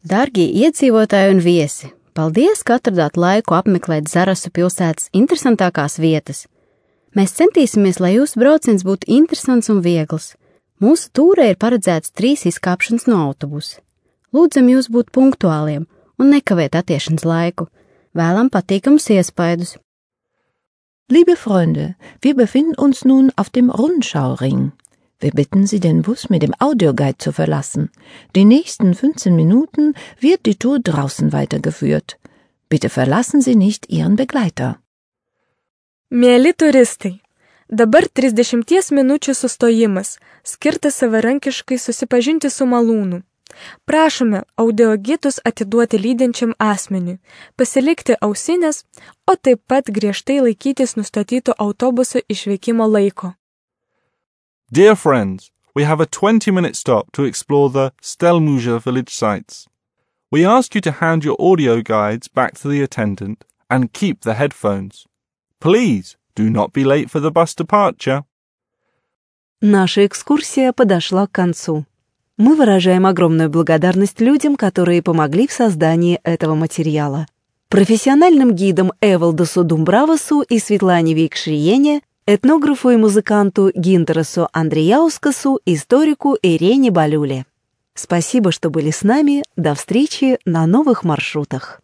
Dārgie iedzīvotāji un viesi, paldies, ka atradāt laiku apmeklēt Zarasu pilsētas interesantākās vietas. Mēs centīsimies, lai jūsu brauciens būtu interesants un viegls. Mūsu tūrē ir paredzēts 3 izkāpšanas no autobusa. Lūdzam jūs būt punktuāliem un nekavēt attiešanas laiku. Vēlam patīkamus iespaidus. Liebe Freunde, wir befinden uns nun auf dem Rundschauring. Wir bitten Sie, den Bus mit dem Audioguide zu verlassen. Die nächsten 15 Minuten wird die Tour draußen weitergeführt. Bitte verlassen Sie nicht Ihren Begleiter. Mieli turistai, dabar 30 minučių sustojimas, skirtas savarankiškai susipažinti su malūnu. Prašome audiogitus atiduoti lydinčiam asmeniui, pasilikti ausinės, o taip pat griežtai laikytis nustatyto autobuso išvykimo laiko. Dear friends, we have a 20-minute stop to explore the Stelmuja village sites. We ask you to hand your audio guides back to the attendant and keep the headphones. Please do not be late for the bus departure. Наша экскурсия подошла к концу. Мы выражаем огромную благодарность людям, которые помогли в создании этого материала. Профессиональным гидам Эвалдусу Думбравасу и Светлане Викшриене, этнографу и музыканту Гинтерасу Андреяускасу, историку Ирене Балюле. Спасибо, что были с нами. До встречи на новых маршрутах.